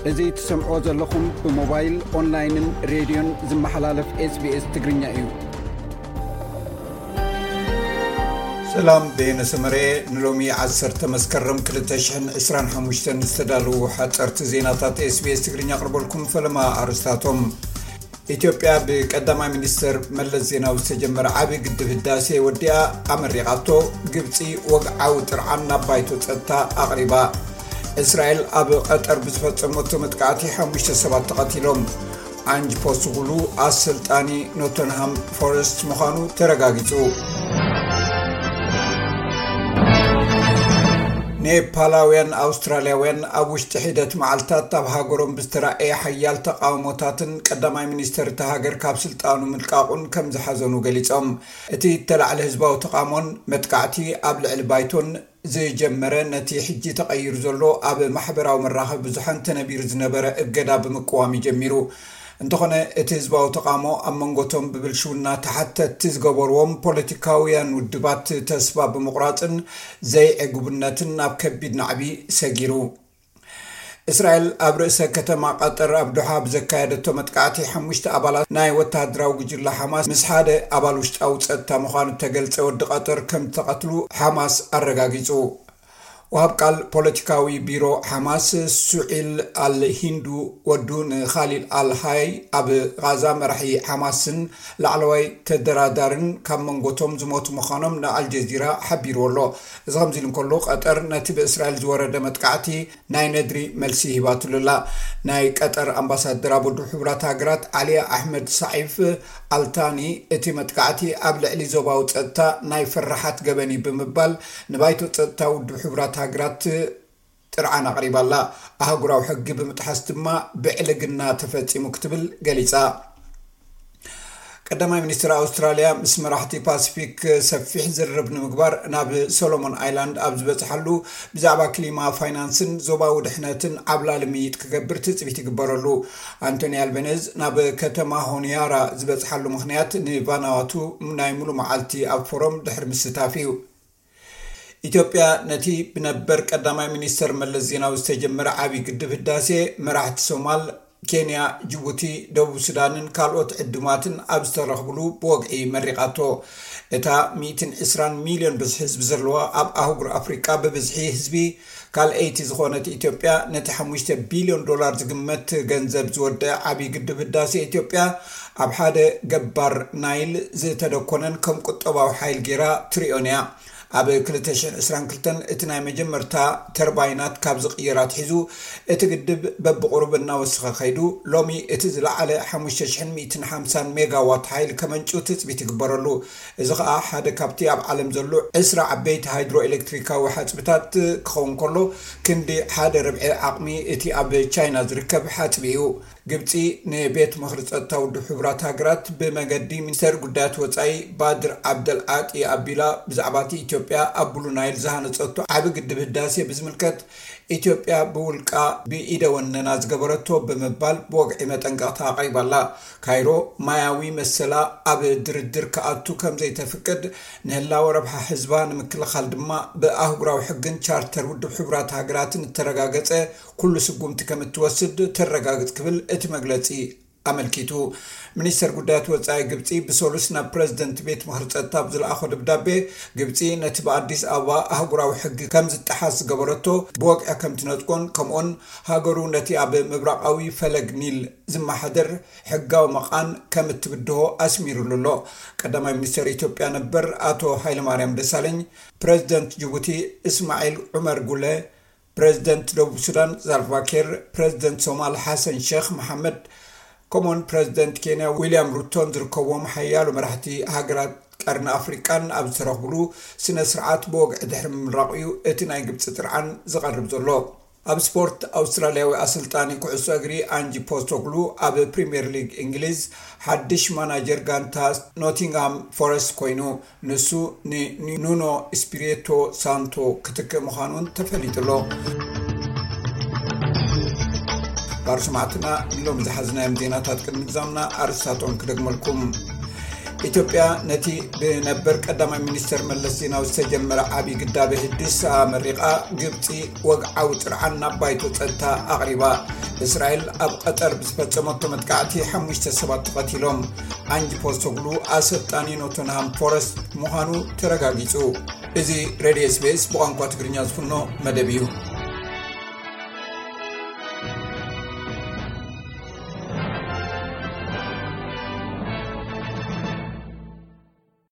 እዚ ትሰምዕዎ ዘለኹም ብሞባይል፣ ኦንላይንን ሬድዮን ዝመሓላለፍ ኤስቢኤስ ትግርኛ እዩ። ሰላም፣ በየነ ሰመረ። ንሎሚ ዓሰርተ መስከረም ክልተ ሽሕን ዕስራን ሓሙሽተን ዝተዳለዉ ሓጸርቲ ዜናታት ኤስቢኤስ ትግርኛ ኣቕርበልኩም። ፈለማ ኣርእስታቶም። ኢትዮጵያ ብቀዳማይ ሚኒስተር መለስ ዜናዊ ዝተጀመረ ዓቢ ግድብ ህዳሴ ወዲኣ ኣመሪቓቶ። ግብጺ ወግዓዊ ጥርዓን ናብ ባይቶ ጸጥታ ኣቕሪባ። እስራኤል ኣብ ቀጠር ብዝፈጸመቶ መጥቃዕቲ ሓሙሽተ ሰባት ተቐቲሎም። ኣንጅ ፖስትጉሉ ኣሰልጣኒ ኖተንሃም ፎረስት ምዃኑ ተረጋጊጹ። ኔፓላውያን ኣውስትራልያውያን ኣብ ውሽጢ ሒደት መዓልታት ኣብ ሃገሮም ብዝተራእየ ሓያል ተቃውሞታትን ቀዳማይ ሚኒስተር እታ ሃገር ካብ ስልጣኑ ምልቃቑን ከም ዝሓዘኑ ገሊጾም። እቲ እተላዕለ ህዝባዊ ተቃውሞን መጥቃዕቲ ኣብ ልዕሊ ባይቶን ዝጀመረ፣ ነቲ ሕጂ ተቐይሩ ዘሎ ኣብ ማሕበራዊ መራኸቢ ብዙሓን ተነቢሩ ዝነበረ እገዳ ብምቅዋም እዩ ጀሚሩ። እንተኾነ፣ እቲ ህዝባዊ ተቃውሞ ኣብ መንጎቶም ብብልሽውና ተሓተትቲ ዝገበርዎም ፖለቲካውያን ውድባት ተስፋ ብምቑራጽን ዘይዕጉብነትን ናብ ከቢድ ናዕቢ ሰጊሩ። እስራኤል ኣብ ርእሰ ከተማ ቀጠር ኣብ ዶሓ ብዘካየደቶ መጥቃዕቲ ሓሙሽተ ኣባላት ናይ ወተሃደራዊ ጉጅለ ሓማስ ምስ ሓደ ኣባል ውሽጣዊ ጸጥታ ምዃኑ እተገልጸ ወዲ ቀጠር ከም ዝተቐትሉ ሓማስ ኣረጋጊጹ። ወሃብ ቃል ፖለቲካዊ ቢሮ ሓማስ ሱዒል ኣል ሂንዱ ወዱ ንኻሊል ኣል ሃይ ኣብ ቓዛ መራሒ ሓማስን ላዕለዋይ ተደራዳርን ካብ መንጎቶም ዝሞቱ ምዃኖም ንኣልጀዚራ ሓቢርዎ ኣሎ። እዚ ከምዚ ኢሉ እንከሎ፣ ቀጠር ነቲ ብእስራኤል ዝወረደ መጥቃዕቲ ናይ ነድሪ መልሲ ሂባትሉ ኣላ። ናይ ቀጠር ኣምባሳደር ኣብ ውድብ ሕቡራት ሃገራት ዓሊ ኣሕመድ ሳዒፍ ኣልታኒ፣ እቲ መጥቃዕቲ ኣብ ልዕሊ ዞባዊ ጸጥታ ናይ ፍርሓት ገበን እዩ ብምባል ንባይቶ ጸጥታ ውድብ ሕቡራት ሃገራት ጥርዓን ኣቕሪባ ኣላ። ኣህጉራዊ ሕጊ ብምጥሓስ ድማ ብዕልግና ተፈጺሙ ክትብል ገሊጻ። ቀዳማይ ሚኒስትር ኣውስትራልያ ምስ መራሕቲ ፓሲፊክ ሰፊሕ ዝርርብ ንምግባር ናብ ሶሎሞን ኣይላንድ ኣብ ዝበጽሓሉ፣ ብዛዕባ ክሊማ፣ ፋይናንስን ዞባዊ ድሕነትን ዓብላሊ ምይይጥ ክገብር ትጽቢት ይግበረሉ። ኣንቶኒ ኣልበነዝ ናብ ከተማ ሆኒያራ ዝበጽሓሉ ምኽንያት ንቫናዋቱ ናይ ሙሉ መዓልቲ ኣብ ፎረም ድሕሪ ምስታፍ እዩ። ኢትዮጵያ ነቲ ብነበር ቀዳማይ ሚኒስተር መለስ ዜናዊ ዝተጀመረ ዓቢ ግድብ ህዳሴ መራሕቲ ሶማል፣ ኬንያ፣ ጅቡቲ፣ ደቡብ ሱዳንን ካልኦት ዕዱማትን ኣብ ዝተረኽብሉ ብወግዒ መሪቓቶ። እታ ሚእትን ዕስራን ሚልዮን ብዝሒ ህዝቢ ዘለዋ ኣብ ኣህጉር ኣፍሪቃ ብብዝሒ ህዝቢ ካልኣይቲ ዝኾነት ኢትዮጵያ፣ ነቲ ሓሙሽተ ቢልዮን ዶላር ዝግመት ገንዘብ ዝወደአ ዓቢ ግድብ ህዳሴ ኢትዮጵያ ኣብ ሓደ ገባር ናይል ዝተደኮነን ከም ቁጠባዊ ሓይል ጌራ ትርእዮን እያ። ኣብ ክልተ ሽሕን ዕስራን ክልተን እቲ ናይ መጀመርታ ተርባይናት ካብ ዝቕየር ኣትሒዙ፣ እቲ ግድብ በብቑሩብ እናወሰኸ ከይዱ፣ ሎሚ እቲ ዝለዓለ ሓሙሽተ ሽሕን ሚእትን ሓምሳን ሜጋዋት ሓይሊ ከመንጩ ትጽቢት ይግበረሉ። እዚ ኸኣ ሓደ ካብቲ ኣብ ዓለም ዘሎ ዕስራ ዓበይቲ ሃይድሮ ኤሌክትሪካዊ ሓጽብታት ክኸውን ከሎ፣ ክንዲ ሓደ ርብዒ ዓቕሚ እቲ ኣብ ቻይና ዝርከብ ሓጽቢ እዩ። ግብጺ ንቤት ምኽሪ ጸጥታ ውድብ ሕቡራት ሃገራት ብመገዲ ሚኒስተር ጉዳያት ወጻኢ ባድር ዓብደል ዓጢ ኣቢላ ብዛዕባ እቲ ኢትዮጵያ ኣብ ብሉ ናይል ዝሃነጸቶ ዓቢ ግድብ ህዳሴ ብዝምልከት፣ ኢትዮጵያ ብውልቃ ብኢደ ወነና ዝገበረቶ ብምባል ብወግዒ መጠንቀቕታ ኣቕሪባላ። ካይሮ ማያዊ መሰላ ኣብ ድርድር ክኣቱ ከም ዘይተፍቅድ፣ ንህላወ ረብሓ ህዝባ ንምክልኻል ድማ ብኣህጉራዊ ሕግን ቻርተር ውድብ ሕቡራት ሃገራትን እተረጋገጸ ኩሉ ስጉምቲ ከም እትወስድ ተረጋግጽ ክብል እቲ መግለጺ ኣመልኪቱ። ሚኒስተር ጉዳያት ወጻኢ ግብጺ ብሰሉስ ናብ ፕረዚደንት ቤት ምኽሪ ጸጥታ ብዝለኣኾ ደብዳቤ፣ ግብጺ ነቲ ብኣዲስ ኣበባ ኣህጉራዊ ሕጊ ከም ዝጠሓስ ዝገበረቶ ብወግዒ ከም ትነጽጎን፣ ከምኡውን ሃገሩ ነቲ ኣብ ምብራቓዊ ፈለግ ኒል ዝመሓደር ሕጋዊ መቓን ከም እትብድሆ ኣስሚሩሉ ኣሎ። ቀዳማይ ሚኒስተር ኢትዮጵያ ነበር ኣቶ ሃይለማርያም ደሳለኝ፣ ፕረዚደንት ጅቡቲ እስማዒል ዑመር ጉለ፣ ፕረዚደንት ደቡብ ሱዳን ሳልቫ ኪር፣ ፕረዚደንት ሶማል ሓሰን ሼኽ መሓመድ፣ ከምኡውን ፕረዚደንት ኬንያ ዊልያም ሩቶን ዝርከብዎም ሓያሎ መራሕቲ ሃገራት ቀርኒ ኣፍሪቃን ኣብ ዝተረኽብሉ ስነ ስርዓት ብወግዒ ድሕሪ ምምራቑ እዩ እቲ ናይ ግብጺ ጥርዓን ዝቐርብ ዘሎ። ኣብ ስፖርት፣ ኣውስትራልያዊ ኣሰልጣኒ ኩዕሶ እግሪ ኣንጂ ፖስቶግሉ ኣብ ፕሪምየር ሊግ እንግሊዝ ሓድሽ ማናጀር ጋንታ ኖቲንግሃም ፎረስት ኮይኑ። ንሱ ንኑኖ ስፒሪቶ ሳንቶ ክትክእ ምዃኑን ተፈሊጡ ኣሎ። ባር ሰማዕትና፣ ንሎሚ ዝሓዝናዮም ዜናታት ቅድሚ ምዛምና ኣርእስታቶም ክደግመልኩም። ኢትዮጵያ ነቲ ብነበር ቀዳማይ ሚኒስትር መለስ ዜናዊ ዝተጀመረ ዓብዪ ግዳበ ህድስ ኣመሪቓ፣ ግብፂ ወግዓዊ ጥርዓን ናብ ባይቶ ፀጥታ ኣቕሪባ። እስራኤል ኣብ ቀጠር ብዝፈፀመቶ መጥቃዕቲ ሓሙሽተ ሰባት ተቐቲሎም። ኣንጅ ፖስቶግሉ ኣሰልጣኒ ኖቶንሃም ፎረስት ምዃኑ ተረጋጊፁ። እዚ ሬድዮ ስቤስ ብቋንቋ ትግርኛ ዝፍኖ መደብ እዩ።